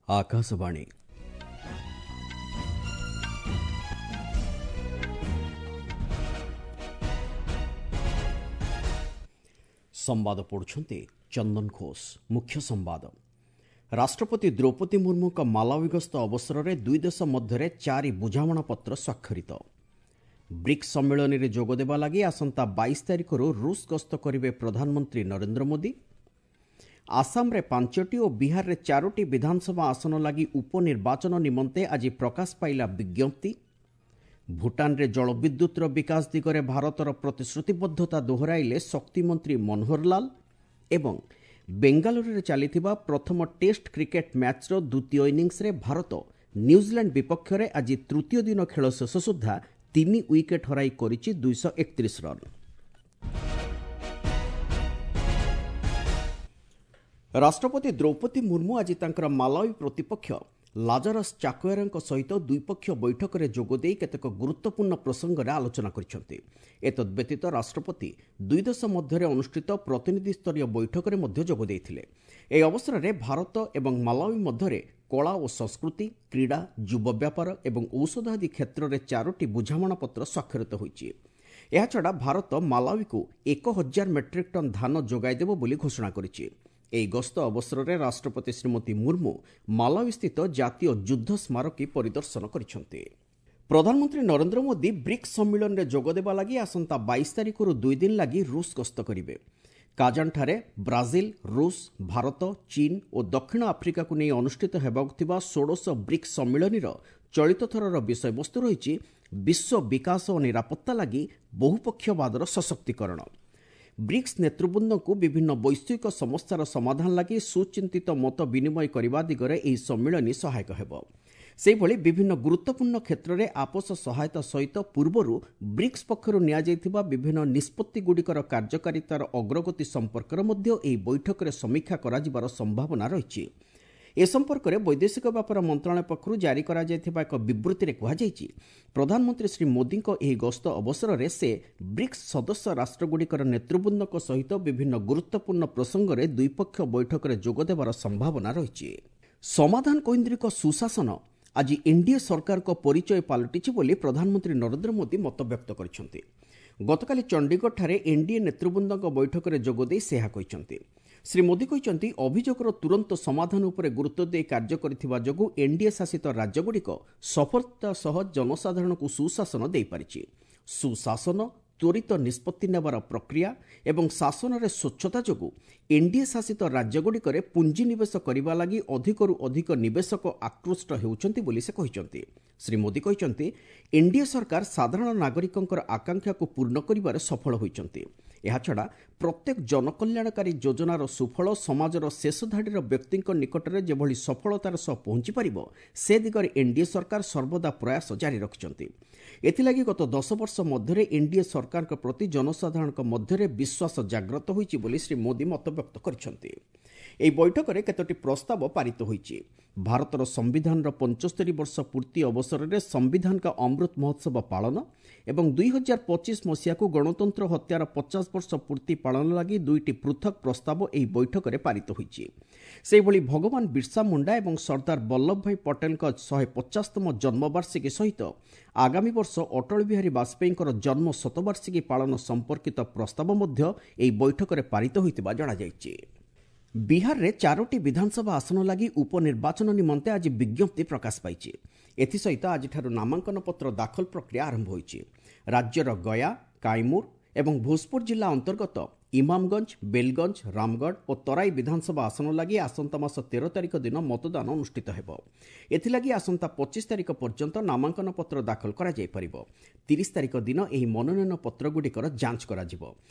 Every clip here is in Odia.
ଆକାଶବାଣୀ। ସମ୍ବାଦ ପଢ଼ୁଛନ୍ତି ଚନ୍ଦନ ଘୋଷ। ମୁଖ୍ୟ ସମ୍ବାଦ। ରାଷ୍ଟ୍ରପତି ଦ୍ରୌପଦୀ ମୁର୍ମୁଙ୍କ ମାଲାୱି ଗସ୍ତ ଅବସରରେ ଦୁଇ ଦେଶ ମଧ୍ୟରେ 4 ବୁଝାମଣାପତ୍ର ସ୍ୱାକ୍ଷରିତ। ବ୍ରିକ୍ସ ସମ୍ମିଳନୀରେ ଯୋଗଦେବା ଲାଗି ଆସନ୍ତା 22 ତାରିଖରୁ ରୁଷ ଗସ୍ତ କରିବେ ପ୍ରଧାନମନ୍ତ୍ରୀ ନରେନ୍ଦ୍ର ମୋଦି। ଆସାମରେ 5ଟି ଓ ବିହାରରେ 4ଟି ବିଧାନସଭା ଆସନ ଲାଗି ଉପନିର୍ବାଚନ ନିମନ୍ତେ ଆଜି ପ୍ରକାଶ ପାଇଲା ବିଜ୍ଞପ୍ତି। ଭୁଟାନରେ ଜଳବିଦ୍ୟୁତର ବିକାଶ ଦିଗରେ ଭାରତର ପ୍ରତିଶ୍ରୁତିବଦ୍ଧତା ଦୋହରାଇଲେ ଶକ୍ତିମନ୍ତ୍ରୀ ମନୋହରଲାଲ। ଏବଂ ବେଙ୍ଗାଲୁରୁରେ ଚାଲିଥିବା ପ୍ରଥମ ଟେଷ୍ଟ କ୍ରିକେଟ୍ ମ୍ୟାଚ୍ର ଦ୍ୱିତୀୟ ଇନିଂସରେ ଭାରତ ନ୍ୟୁଜିଲାଣ୍ଡ ବିପକ୍ଷରେ ଆଜି ତୃତୀୟ ଦିନ ଖେଳ ଶେଷ ସୁଦ୍ଧା 3 ୱିକେଟ୍ ହରାଇ କରିଛି 231 ରନ୍। ରାଷ୍ଟ୍ରପତି ଦ୍ରୌପଦୀ ମୁର୍ମୁ ଆଜି ତାଙ୍କର ମାଲାୱି ପ୍ରତିପକ୍ଷ ଲାଜାରସ୍ ଚାକୋଏରାଙ୍କ ସହିତ ଦ୍ୱିପକ୍ଷୀୟ ବୈଠକରେ ଯୋଗଦେଇ କେତେକ ଗୁରୁତ୍ୱପୂର୍ଣ୍ଣ ପ୍ରସଙ୍ଗରେ ଆଲୋଚନା କରିଛନ୍ତି। ଏତଦ୍ବ୍ୟତୀତ ରାଷ୍ଟ୍ରପତି ଦୁଇ ଦେଶ ମଧ୍ୟରେ ଅନୁଷ୍ଠିତ ପ୍ରତିନିଧିସ୍ତରୀୟ ବୈଠକରେ ମଧ୍ୟ ଯୋଗ ଦେଇଥିଲେ। ଏହି ଅବସରରେ ଭାରତ ଏବଂ ମାଲାୱି ମଧ୍ୟରେ କଳା ଓ ସଂସ୍କୃତି, କ୍ରୀଡ଼ା, ଯୁବ ବ୍ୟାପାର ଏବଂ ଔଷଧ ଆଦି କ୍ଷେତ୍ରରେ 4ଟି ବୁଝାମଣାପତ୍ର ସ୍ୱାକ୍ଷରିତ ହୋଇଛି। ଏହାଛଡ଼ା ଭାରତ ମାଲାୱିକୁ 1000 ମେଟ୍ରିକ୍ ଟନ୍ ଧାନ ଯୋଗାଇଦେବ ବୋଲି ଘୋଷଣା କରିଛି। ଏହି ଗସ୍ତ ଅବସରରେ ରାଷ୍ଟ୍ରପତି ଶ୍ରୀମତୀ ମୁର୍ମୁ ମାଲାୱିସ୍ଥିତ ଜାତୀୟ ଯୁଦ୍ଧ ସ୍ମାରକୀ ପରିଦର୍ଶନ କରିଛନ୍ତି। ପ୍ରଧାନମନ୍ତ୍ରୀ ନରେନ୍ଦ୍ର ମୋଦି ବ୍ରିକ୍ସ ସମ୍ମିଳନୀରେ ଯୋଗଦେବା ଲାଗି ଆସନ୍ତା 22 ତାରିଖରୁ 2 ଦିନ ଲାଗି ରୁଷ ଗସ୍ତ କରିବେ। କାଜାନଠାରେ ବ୍ରାଜିଲ, ରୁଷ, ଭାରତ, ଚୀନ ଓ ଦକ୍ଷିଣ ଆଫ୍ରିକାକୁ ନେଇ ଅନୁଷ୍ଠିତ ହେବାକୁ ଥିବା 16 ବ୍ରିକ୍ସ ସମ୍ମିଳନୀର ଚଳିତ ଥରର ବିଷୟବସ୍ତୁ ରହିଛି ବିଶ୍ୱ ବିକାଶ ଓ ନିରାପତ୍ତା ଲାଗି ବହୁପକ୍ଷବାଦର ସଶକ୍ତିକରଣ। ବ୍ରିକ୍ସ ନେତୃବୃନ୍ଦଙ୍କୁ ବିଭିନ୍ନ ବୈଶ୍ୱିକ ସମସ୍ୟାର ସମାଧାନ ଲାଗି ସୁଚିନ୍ତିତ ମତ ବିନିମୟ କରିବା ଦିଗରେ ଏହି ସମ୍ମିଳନୀ ସହାୟକ ହେବ। ସେହିଭଳି ବିଭିନ୍ନ ଗୁରୁତ୍ୱପୂର୍ଣ୍ଣ କ୍ଷେତ୍ରରେ ଆପୋଷ ସହାୟତା ସହିତ ପୂର୍ବରୁ ବ୍ରିକ୍ସ ପକ୍ଷରୁ ନିଆଯାଇଥିବା ବିଭିନ୍ନ ନିଷ୍ପତ୍ତିଗୁଡ଼ିକର କାର୍ଯ୍ୟକାରିତାର ଅଗ୍ରଗତି ସମ୍ପର୍କରେ ମଧ୍ୟ ଏହି ବୈଠକରେ ସମୀକ୍ଷା କରାଯିବାର ସମ୍ଭାବନା ରହିଛି। ଏ ସମ୍ପର୍କରେ ବୈଦେଶିକ ବ୍ୟାପାର ମନ୍ତ୍ରଣାଳୟ ପକ୍ଷରୁ ଜାରି କରାଯାଇଥିବା ଏକ ବିବୃତ୍ତିରେ କୁହାଯାଇଛି, ପ୍ରଧାନମନ୍ତ୍ରୀ ଶ୍ରୀ ମୋଦିଙ୍କ ଏହି ଗସ୍ତ ଅବସରରେ ସେ ବ୍ରିକ୍ସ ସଦସ୍ୟ ରାଷ୍ଟ୍ରଗୁଡ଼ିକର ନେତୃବୃନ୍ଦଙ୍କ ସହିତ ବିଭିନ୍ନ ଗୁରୁତ୍ୱପୂର୍ଣ୍ଣ ପ୍ରସଙ୍ଗରେ ଦ୍ୱିପକ୍ଷୀୟ ବୈଠକରେ ଯୋଗଦେବାର ସମ୍ଭାବନା ରହିଛି। ସମାଧାନ କୈନ୍ଦ୍ରିକ ସୁଶାସନ ଆଜି ଏନ୍ଡିଏ ସରକାରଙ୍କ ପରିଚୟ ପାଲଟିଛି ବୋଲି ପ୍ରଧାନମନ୍ତ୍ରୀ ନରେନ୍ଦ୍ର ମୋଦି ମତବ୍ୟକ୍ତ କରିଛନ୍ତି। ଗତକାଲି ଚଣ୍ଡିଗଡ଼ଠାରେ ଏନ୍ଡିଏ ନେତୃବୃନ୍ଦଙ୍କ ବୈଠକରେ ଯୋଗଦେଇ ସେ ଏହା କହିଛନ୍ତି। ଶ୍ରୀ ମୋଦି କହିଛନ୍ତି, ଅଭିଯୋଗର ତୁରନ୍ତ ସମାଧାନ ଉପରେ ଗୁରୁତ୍ୱ ଦେଇ କାର୍ଯ୍ୟ କରିଥିବା ଯୋଗୁଁ ଏନ୍ଡିଏ ଶାସିତ ରାଜ୍ୟଗୁଡ଼ିକ ସଫଳତା ସହ ଜନସାଧାରଣଙ୍କୁ ସୁଶାସନ ଦେଇପାରିଛି। ସୁଶାସନ, ତ୍ୱରିତ ନିଷ୍ପତ୍ତି ନେବାର ପ୍ରକ୍ରିୟା ଏବଂ ଶାସନରେ ସ୍ୱଚ୍ଛତା ଯୋଗୁଁ ଏନ୍ଡିଏ ଶାସିତ ରାଜ୍ୟଗୁଡ଼ିକରେ ପୁଞ୍ଜିନିବେଶ କରିବା ଲାଗି ଅଧିକରୁ ଅଧିକ ନିବେଶକ ଆକୃଷ୍ଟ ହେଉଛନ୍ତି ବୋଲି ସେ କହିଛନ୍ତି। ଶ୍ରୀ ମୋଦି କହିଛନ୍ତି, ଏନ୍ଡିଏ ସରକାର ସାଧାରଣ ନାଗରିକଙ୍କର ଆକାଂକ୍ଷାକୁ ପୂର୍ଣ୍ଣ କରିବାରେ ସଫଳ ହୋଇଛନ୍ତି। ଏହାଛଡ଼ା ପ୍ରତ୍ୟେକ ଜନକଲ୍ୟାଣକାରୀ ଯୋଜନାର ସୁଫଳ ସମାଜର ଶେଷ ଧାଡ଼ିର ବ୍ୟକ୍ତିଙ୍କ ନିକଟରେ ଯେଭଳି ସଫଳତାର ସହ ପହଞ୍ଚିପାରିବ ସେ ଦିଗରେ ଏନ୍ଡିଏ ସରକାର ସର୍ବଦା ପ୍ରୟାସ ଜାରି ରଖିଛନ୍ତି। ଏଥିଲାଗି ଗତ 10 ବର୍ଷ ମଧ୍ୟରେ ଏନ୍ଡିଏ ସରକାରଙ୍କ ପ୍ରତି ଜନସାଧାରଣଙ୍କ ମଧ୍ୟରେ ବିଶ୍ୱାସ ଜାଗ୍ରତ ହୋଇଛି ବୋଲି ଶ୍ରୀ ମୋଦି ମତବ୍ୟକ୍ତ କରିଛନ୍ତି। ଏହି ବୈଠକରେ କେତୋଟି ପ୍ରସ୍ତାବ ପାରିତ ହୋଇଛି। ଭାରତର ସମ୍ବିଧାନର 75 ବର୍ଷ ପୂର୍ତ୍ତି ଅବସରରେ ସମ୍ବିଧାନ କା ଅମୃତ ମହୋତ୍ସବ ପାଳନ ଏବଂ 2025 ମସିହାକୁ ଗଣତନ୍ତ୍ର ହତ୍ୟାର 50 ବର୍ଷ ପୂର୍ତ୍ତି ପାଳନ ଲାଗି 2ଟି ପୃଥକ ପ୍ରସ୍ତାବ ଏହି ବୈଠକରେ ପାରିତ ହୋଇଛି। ସେହିଭଳି ଭଗବାନ ବିର୍ସା ମୁଣ୍ଡା ଏବଂ ସର୍ଦ୍ଦାର ବଲ୍ଲଭ ଭାଇ ପଟେଲଙ୍କ 150ତମ ଜନ୍ମବାର୍ଷିକୀ ସହିତ ଆଗାମୀ ବର୍ଷ ଅଟଳ ବିହାରୀ ବାଜପେୟୀଙ୍କର ଜନ୍ମ ଶତବାର୍ଷିକୀ ପାଳନ ସମ୍ପର୍କିତ ପ୍ରସ୍ତାବ ମଧ୍ୟ ଏହି ବୈଠକରେ ପାରିତ ହୋଇଥିବା ଜଣାଯାଇଛି। ବିହାରରେ 4ଟି ବିଧାନସଭା ଆସନ ଲାଗି ଉପନିର୍ବାଚନ ନିମନ୍ତେ ଆଜି ବିଜ୍ଞପ୍ତି ପ୍ରକାଶ ପାଇଛି। ଏଥିସହିତ ଆଜିଠାରୁ ନାମାଙ୍କନ ପତ୍ର ଦାଖଲ ପ୍ରକ୍ରିୟା ଆରମ୍ଭ ହୋଇଛି। ରାଜ୍ୟର ଗୟା, କାଇମୁର ଏବଂ ଭୋଜପୁର ଜିଲ୍ଲା ଅନ୍ତର୍ଗତ ଇମାମଗଞ୍ଜ, ବେଲଗଞ୍ଜ, ରାମଗଡ଼ ଓ ତରାଇ ବିଧାନସଭା ଆସନ ଲାଗି ଆସନ୍ତା ମାସ 13 ତାରିଖ ଦିନ ମତଦାନ ଅନୁଷ୍ଠିତ ହେବ। ଏଥିଲାଗି ଆସନ୍ତା 25 ତାରିଖ ପର୍ଯ୍ୟନ୍ତ ନାମାଙ୍କନ ପତ୍ର ଦାଖଲ କରାଯାଇପାରିବ। 30 ତାରିଖ ଦିନ ଏହି ମନୋନୟନ ପତ୍ରଗୁଡ଼ିକର ଯାଞ୍ଚ କରାଯିବ।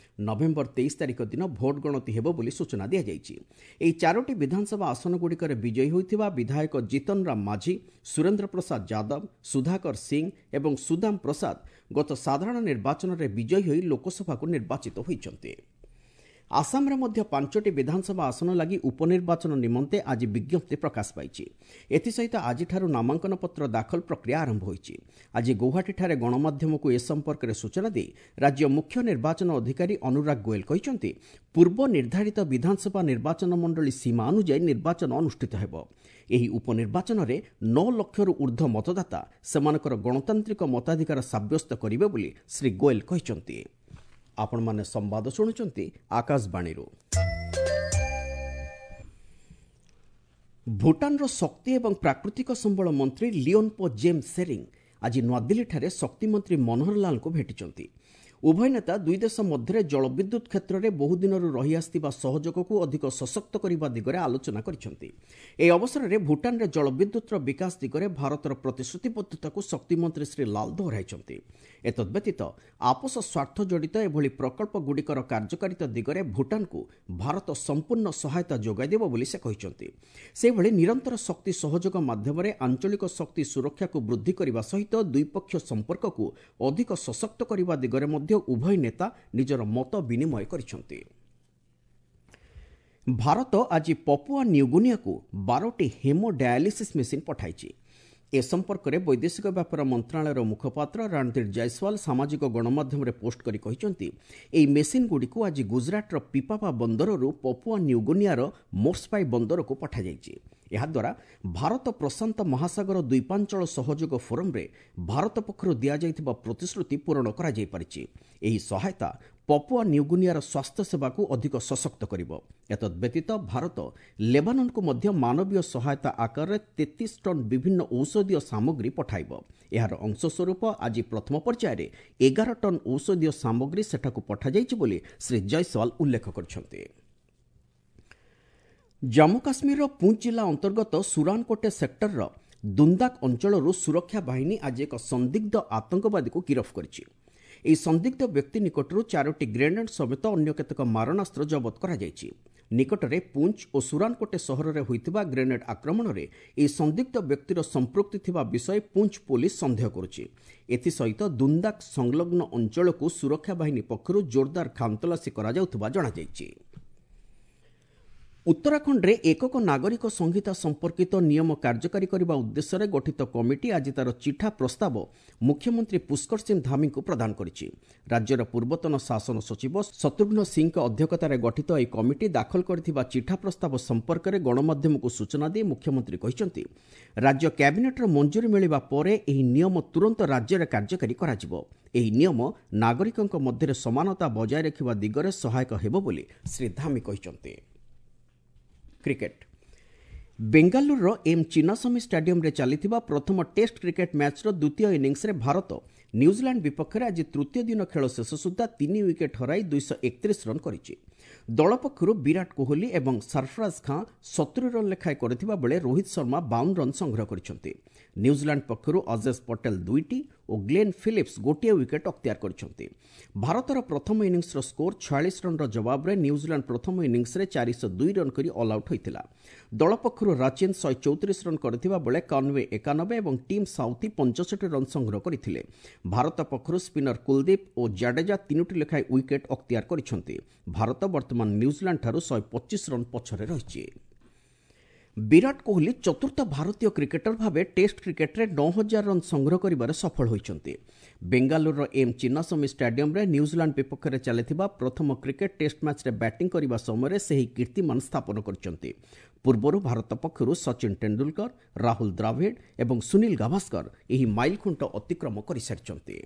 ନଭେମ୍ବର 23 ତାରିଖ ଦିନ ଭୋଟ ଗଣତି ହେବ ବୋଲି ସୂଚନା ଦିଆଯାଇଛି। ଏହି 4ଟି ବିଧାନସଭା ଆସନଗୁଡ଼ିକରେ ବିଜୟୀ ହୋଇଥିବା ବିଧାୟକ ଜିତନ ରାମ ମାଝୀ, ସୁରେନ୍ଦ୍ର ପ୍ରସାଦ ଯାଦବ, ସୁଧାକର ସିଂ ଏବଂ ସୁଦାମ ପ୍ରସାଦ ଗତ ସାଧାରଣ ନିର୍ବାଚନରେ ବିଜୟୀ ହୋଇ ଲୋକସଭାକୁ ନିର୍ବାଚିତ ହୋଇଛନ୍ତି। ଆସାମରେ ମଧ୍ୟ 5ଟି ବିଧାନସଭା ଆସନ ଲାଗି ଉପନିର୍ବାଚନ ନିମନ୍ତେ ଆଜି ବିଜ୍ଞପ୍ତି ପ୍ରକାଶ ପାଇଛି। ଏଥିସହିତ ଆଜିଠାରୁ ନାମାଙ୍କନପତ୍ର ଦାଖଲ ପ୍ରକ୍ରିୟା ଆରମ୍ଭ ହୋଇଛି। ଆଜି ଗୌହାଟୀଠାରେ ଗଣମାଧ୍ୟମକୁ ଏ ସମ୍ପର୍କରେ ସୂଚନା ଦେଇ ରାଜ୍ୟ ମୁଖ୍ୟ ନିର୍ବାଚନ ଅଧିକାରୀ ଅନୁରାଗ ଗୋଏଲ କହିଛନ୍ତି, ପୂର୍ବ ନିର୍ଦ୍ଧାରିତ ବିଧାନସଭା ନିର୍ବାଚନ ମଣ୍ଡଳୀ ସୀମା ଅନୁଯାୟୀ ନିର୍ବାଚନ ଅନୁଷ୍ଠିତ ହେବ। ଏହି ଉପନିର୍ବାଚନରେ 9 ଲକ୍ଷରୁ ଉର୍ଦ୍ଧ୍ୱ ମତଦାତା ସେମାନଙ୍କର ଗଣତାନ୍ତ୍ରିକ ମତାଧିକାର ସାବ୍ୟସ୍ତ କରିବେ ବୋଲି ଶ୍ରୀ ଗୋଏଲ କହିଛନ୍ତି। ଆପଣମାନେ ସମ୍ବାଦ ଶୁଣୁଛନ୍ତି ଆକାଶବାଣୀରୁ। ଭୁଟାନର ଶକ୍ତି ଏବଂ ପ୍ରାକୃତିକ ସମ୍ବଳ ମନ୍ତ୍ରୀ ଲିଓନ୍ପୋ ଜେମ୍ ସେରିଂ ଆଜି ନୂଆଦିଲ୍ଲୀଠାରେ ଶକ୍ତିମନ୍ତ୍ରୀ ମନୋହର ଲାଲଙ୍କୁ ଭେଟିଛନ୍ତି। ଉଭୟ ନେତା ଦୁଇ ଦେଶ ମଧ୍ୟରେ ଜଳବିଦ୍ୟୁତ୍ କ୍ଷେତ୍ରରେ ବହୁଦିନରୁ ରହିଆସିଥିବା ସହଯୋଗକୁ ଅଧିକ ସଶକ୍ତ କରିବା ଦିଗରେ ଆଲୋଚନା କରିଛନ୍ତି। ଏହି ଅବସରରେ ଭୁଟାନରେ ଜଳବିଦ୍ୟୁତ୍ର ବିକାଶ ଦିଗରେ ଭାରତର ପ୍ରତିଶ୍ରୁତିବଦ୍ଧତାକୁ ଶକ୍ତିମନ୍ତ୍ରୀ ଶ୍ରୀ ଲାଲ ଦୋହରାଇଛନ୍ତି। ଏତଦ୍ବ୍ୟତୀତ ଆପୋଷ ସ୍ୱାର୍ଥ ଜଡ଼ିତ ଏଭଳି ପ୍ରକଳ୍ପଗୁଡ଼ିକର କାର୍ଯ୍ୟକାରିତା ଦିଗରେ ଭୁଟାନକୁ ଭାରତ ସମ୍ପୂର୍ଣ୍ଣ ସହାୟତା ଯୋଗାଇ ଦେବ ବୋଲି ସେ କହିଛନ୍ତି। ସେହିଭଳି ନିରନ୍ତର ଶକ୍ତି ସହଯୋଗ ମାଧ୍ୟମରେ ଆଞ୍ଚଳିକ ଶକ୍ତି ସୁରକ୍ଷାକୁ ବୃଦ୍ଧି କରିବା ସହିତ ଦ୍ୱିପକ୍ଷୀୟ ସମ୍ପର୍କକୁ ଅଧିକ ସଶକ୍ତ କରିବା ଦିଗରେ ମଧ୍ୟ ଉଭୟ ନେତା ନିଜର ମତ ବିନିମୟ କରିଛନ୍ତି। ଭାରତ ଆଜି ପପୁଆ ନ୍ୟୁଗୁନିଆକୁ 12ଟି ହେମୋ ଡାୟାଲିସିସ୍ ମେସିନ୍ ପଠାଇଛି। ଏ ସମ୍ପର୍କରେ ବୈଦେଶିକ ବ୍ୟାପାର ମନ୍ତ୍ରଣାଳୟର ମୁଖପାତ୍ର ରଣଧୀର ଜୟସ୍ୱାଲ ସାମାଜିକ ଗଣମାଧ୍ୟମରେ ପୋଷ୍ଟ କରି କହିଛନ୍ତି, ଏହି ମେସିନ୍ଗୁଡ଼ିକୁ ଆଜି ଗୁଜରାଟର ପିପାପା ବନ୍ଦରରୁ ପପୁଆ ନ୍ୟୁଗୁନିଆର ମୋର୍ସପାଇ ବନ୍ଦରକୁ ପଠାଯାଇଛି। ଏହାଦ୍ୱାରା ଭାରତ ପ୍ରଶାନ୍ତ ମହାସାଗର ଦ୍ୱୀପାଞ୍ଚଳ ସହଯୋଗ ଫୋରମ୍ରେ ଭାରତ ପକ୍ଷରୁ ଦିଆଯାଇଥିବା ପ୍ରତିଶ୍ରୁତି ପୂରଣ କରାଯାଇପାରିଛି। ଏହି ସହାୟତା ପପୁଆ ନ୍ୟୁଗୁନିଆର ସ୍ୱାସ୍ଥ୍ୟସେବାକୁ ଅଧିକ ସଶକ୍ତ କରିବ। ଏତଦ୍ବ୍ୟତୀତ ଭାରତ ଲେବାନନକୁ ମଧ୍ୟ ମାନବୀୟ ସହାୟତା ଆକାରରେ 33 ଟନ୍ ବିଭିନ୍ନ ଔଷଧୀୟ ସାମଗ୍ରୀ ପଠାଇବ। ଏହାର ଅଂଶସ୍ୱରୂପ ଆଜି ପ୍ରଥମ ପର୍ଯ୍ୟାୟରେ 11 ଟନ୍ ଔଷଧୀୟ ସାମଗ୍ରୀ ସେଠାକୁ ପଠାଯାଇଛି ବୋଲି ଶ୍ରୀ ଜୟସ୍ୱାଲ ଉଲ୍ଲେଖ କରିଛନ୍ତି। ଜାମ୍ମୁ କାଶ୍ମୀରର ପୁଞ୍ଚ ଜିଲ୍ଲା ଅନ୍ତର୍ଗତ ସୁରାନକୋଟେ ସେକ୍ଟରର ଦୁନ୍ଦାକ ଅଞ୍ଚଳରୁ ସୁରକ୍ଷା ବାହିନୀ ଆଜି ଏକ ସନ୍ଦିଗ୍ଧ ଆତଙ୍କବାଦୀକୁ ଗିରଫ କରିଛି। ଏହି ସନ୍ଦିଗ୍ଧ ବ୍ୟକ୍ତି ନିକଟରୁ 4ଟି ଗ୍ରେନେଡ୍ ସମେତ ଅନ୍ୟ କେତେକ ମାରଣାସ୍ତ୍ର ଜବତ କରାଯାଇଛି। ନିକଟରେ ପୁଞ୍ଚ ଓ ସୁରାନକୋଟେ ସହରରେ ହୋଇଥିବା ଗ୍ରେନେଡ୍ ଆକ୍ରମଣରେ ଏହି ସନ୍ଦିଗ୍ଧ ବ୍ୟକ୍ତିର ସମ୍ପୃକ୍ତି ଥିବା ବିଷୟ ପୁଞ୍ଚ ପୋଲିସ ସନ୍ଦେହ କରୁଛି। ଏଥିସହିତ ଦୁନ୍ଦାକ ସଂଲଗ୍ନ ଅଞ୍ଚଳକୁ ସୁରକ୍ଷା ବାହିନୀ ପକ୍ଷରୁ ଜୋରଦାର ଖାନତଲାସୀ କରାଯାଉଥିବା ଜଣାଯାଇଛି। ଉତ୍ତରାଖଣ୍ଡରେ ଏକକ ନାଗରିକ ସଂହିତା ସମ୍ପର୍କିତ ନିୟମ କାର୍ଯ୍ୟକାରୀ କରିବା ଉଦ୍ଦେଶ୍ୟରେ ଗଠିତ କମିଟି ଆଜି ତା'ର ଚିଠା ପ୍ରସ୍ତାବ ମୁଖ୍ୟମନ୍ତ୍ରୀ ପୁଷ୍କର ସିଂ ଧାମୀଙ୍କୁ ପ୍ରଦାନ କରିଛି। ରାଜ୍ୟର ପୂର୍ବତନ ଶାସନ ସଚିବ ଶତ୍ରୁଘ୍ନ ସିଂଙ୍କ ଅଧ୍ୟକ୍ଷତାରେ ଗଠିତ ଏହି କମିଟି ଦାଖଲ କରିଥିବା ଚିଠା ପ୍ରସ୍ତାବ ସମ୍ପର୍କରେ ଗଣମାଧ୍ୟମକୁ ସୂଚନା ଦେଇ ମୁଖ୍ୟମନ୍ତ୍ରୀ କହିଛନ୍ତି, ରାଜ୍ୟ କ୍ୟାବିନେଟ୍ର ମଞ୍ଜୁରୀ ମିଳିବା ପରେ ଏହି ନିୟମ ତୁରନ୍ତ ରାଜ୍ୟରେ କାର୍ଯ୍ୟକାରୀ କରାଯିବ। ଏହି ନିୟମ ନାଗରିକଙ୍କ ମଧ୍ୟରେ ସମାନତା ବଜାୟ ରଖିବା ଦିଗରେ ସହାୟକ ହେବ ବୋଲି ଶ୍ରୀ ଧାମୀ କହିଛନ୍ତି। କ୍ରିକେଟ, ବେଙ୍ଗାଲୁରୁର ଏମ୍ ଚିନ୍ନାସ୍ୱାମୀ ଷ୍ଟାଡିୟମରେ ଚାଲିଥିବା ପ୍ରଥମ ଟେଷ୍ଟ କ୍ରିକେଟ ମ୍ୟାଚ୍ର ଦ୍ୱିତୀୟ ଇନିଂସରେ ଭାରତ ନ୍ୟୁଜିଲାଣ୍ଡ ବିପକ୍ଷରେ ଆଜି ତୃତୀୟ ଦିନ ଖେଳ ଶେଷ ସୁଦ୍ଧା 3 ୱିକେଟ୍ ହରାଇ 231 ରନ୍ କରିଛି। ଦଳ ପକ୍ଷରୁ ବିରାଟ କୋହଲି ଏବଂ ସରଫରାଜ ଖାଁ 70 ରନ୍ ଲେଖାଏଁ କରିଥିବା ବେଳେ ରୋହିତ ଶର୍ମା 52 ରନ୍ ସଂଗ୍ରହ କରିଛନ୍ତି। ନ୍ୟୁଜିଲାଣ୍ଡ ପକ୍ଷରୁ ଅଜେଶ ପଟେଲ 2ଟି ଓ ଗ୍ଲେନ୍ ଫିଲିପ୍ସ 1 ୱିକେଟ୍ ଅକ୍ତିଆର କରିଛନ୍ତି। ଭାରତର ପ୍ରଥମ ଇନିଂସର ସ୍କୋର 46 ରନ୍ର ଜବାବରେ ନ୍ୟୁଜିଲାଣ୍ଡ ପ୍ରଥମ ଇନିଂସରେ 402 ରନ୍ କରି ଅଲ୍ ଆଉଟ୍ ହୋଇଥିଲା। ଦଳ ପକ୍ଷରୁ ରାଚିନ୍ 134 ରନ୍ କରିଥିବା ବେଳେ କନ୍ୱେ 91 ଏବଂ ଟିମ୍ ସାଉଥି 65 ରନ୍ ସଂଗ୍ରହ କରିଥିଲେ। ଭାରତ ପକ୍ଷରୁ ସ୍ପିନର କୁଲଦୀପ ଓ ଜାଡେଜା 3ଟି ଲେଖାଏଁ ୱିକେଟ୍ ଅକ୍ତିଆର କରିଛନ୍ତି। ଭାରତ ବର୍ତ୍ତମାନ ନ୍ୟୁଜିଲାଣ୍ଡଠାରୁ 125 ରନ୍ ପଛରେ ରହିଛି। ବିରାଟ କୋହଲି ଚତୁର୍ଥ ଭାରତୀୟ କ୍ରିକେଟର ଭାବେ ଟେଷ୍ଟ କ୍ରିକେଟରେ 9000 ରନ୍ ସଂଗ୍ରହ କରିବାରେ ସଫଳ ହୋଇଛନ୍ତି। ବେଙ୍ଗାଲୁରୁର ଏମ୍ ଚିନ୍ନାସ୍ୱାମୀ ଷ୍ଟାଡିୟମରେ ନ୍ୟୁଜିଲାଣ୍ଡ ବିପକ୍ଷରେ ଚାଲିଥିବା ପ୍ରଥମ କ୍ରିକେଟ ଟେଷ୍ଟ ମ୍ୟାଚ୍ରେ ବ୍ୟାଟିଂ କରିବା ସମୟରେ ସେହି କୀର୍ତ୍ତିମାନ ସ୍ଥାପନ କରିଛନ୍ତି। ପୂର୍ବରୁ ଭାରତ ପକ୍ଷରୁ ସଚିନ ଟେଣ୍ଡୁଲକର, ରାହୁଲ ଦ୍ରାଭିଡ ଏବଂ ସୁନୀଲ ଗାଭାସ୍କର ଏହି ମାଇଲଖୁଣ୍ଟ ଅତିକ୍ରମ କରିସାରିଛନ୍ତି।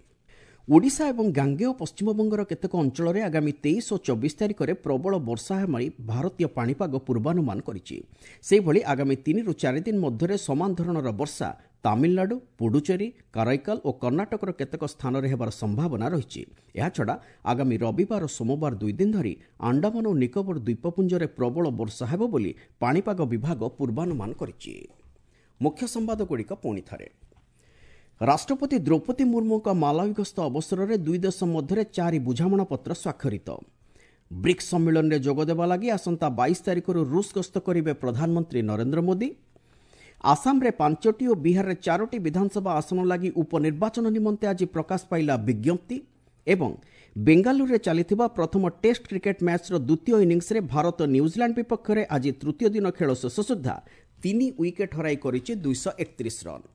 ଓଡ଼ିଶା ଏବଂ ଗାଙ୍ଗେୟ ପଶ୍ଚିମବଙ୍ଗର କେତେକ ଅଞ୍ଚଳରେ ଆଗାମୀ 23 ଓ 24 ତାରିଖରେ ପ୍ରବଳ ବର୍ଷା ହେବା ଭାରତୀୟ ପାଣିପାଗ ପୂର୍ବାନୁମାନ କରିଛି। ସେହିଭଳି ଆଗାମୀ 3ରୁ 4 ଦିନ ମଧ୍ୟରେ ସମାନ ଧରଣର ବର୍ଷା ତାମିଲନାଡୁ, ପୁଡୁଚେରୀ, କାରାଇକାଲ ଓ କର୍ଣ୍ଣାଟକର କେତେକ ସ୍ଥାନରେ ହେବାର ସମ୍ଭାବନା ରହିଛି। ଏହାଛଡ଼ା ଆଗାମୀ ରବିବାର ଓ ସୋମବାର 2 ଦିନ ଧରି ଆଣ୍ଡାମାନ ଓ ନିକୋବର ଦ୍ୱୀପପୁଞ୍ଜରେ ପ୍ରବଳ ବର୍ଷା ହେବ ବୋଲି ପାଣିପାଗ ବିଭାଗ ପୂର୍ବାନୁମାନ କରିଛି। ମୁଖ୍ୟ ସମ୍ବାଦଗୁଡ଼ିକ ପୁଣି ଥରେ। ରାଷ୍ଟ୍ରପତି ଦ୍ରୌପଦୀ ମୁର୍ମୁଙ୍କ ମାଲାୱି ଗସ୍ତ ଅବସରରେ ଦୁଇ ଦେଶ ମଧ୍ୟରେ 4 ବୁଝାମଣାପତ୍ର ସ୍ୱାକ୍ଷରିତ। ବ୍ରିକ୍ସ ସମ୍ମିଳନୀରେ ଯୋଗଦେବା ଲାଗି ଆସନ୍ତା 22 ତାରିଖରୁ ରୁଷ ଗସ୍ତ କରିବେ ପ୍ରଧାନମନ୍ତ୍ରୀ ନରେନ୍ଦ୍ର ମୋଦି। ଆସାମରେ 5ଟି ଓ ବିହାରରେ 4ଟି ବିଧାନସଭା ଆସନ ଲାଗି ଉପନିର୍ବାଚନ ନିମନ୍ତେ ଆଜି ପ୍ରକାଶ ପାଇଲା ବିଜ୍ଞପ୍ତି। ଏବଂ ବେଙ୍ଗାଲୁରୁରେ ଚାଲିଥିବା ପ୍ରଥମ ଟେଷ୍ଟ କ୍ରିକେଟ୍ ମ୍ୟାଚ୍ର ଦ୍ୱିତୀୟ ଇନିଂସରେ ଭାରତ ନ୍ୟୁଜିଲାଣ୍ଡ ବିପକ୍ଷରେ ଆଜି ତୃତୀୟ ଦିନ ଖେଳ ଶେଷ ସୁଦ୍ଧା 3 ୱିକେଟ୍ ହରାଇ କରିଛି 231 ରନ୍।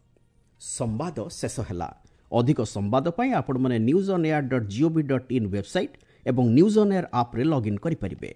ସମ୍ବାଦ ଶେଷ ହେଲା। ଅଧିକ ସମ୍ବାଦ ପାଇଁ ଆପଣମାନେ news on air dot gov dot in website ଏବଂ ନ୍ୟୁଜ୍ ଅନ୍ ଏୟାର ଆପ୍ରେ ଲଗ୍ଇନ୍ କରିପାରିବେ।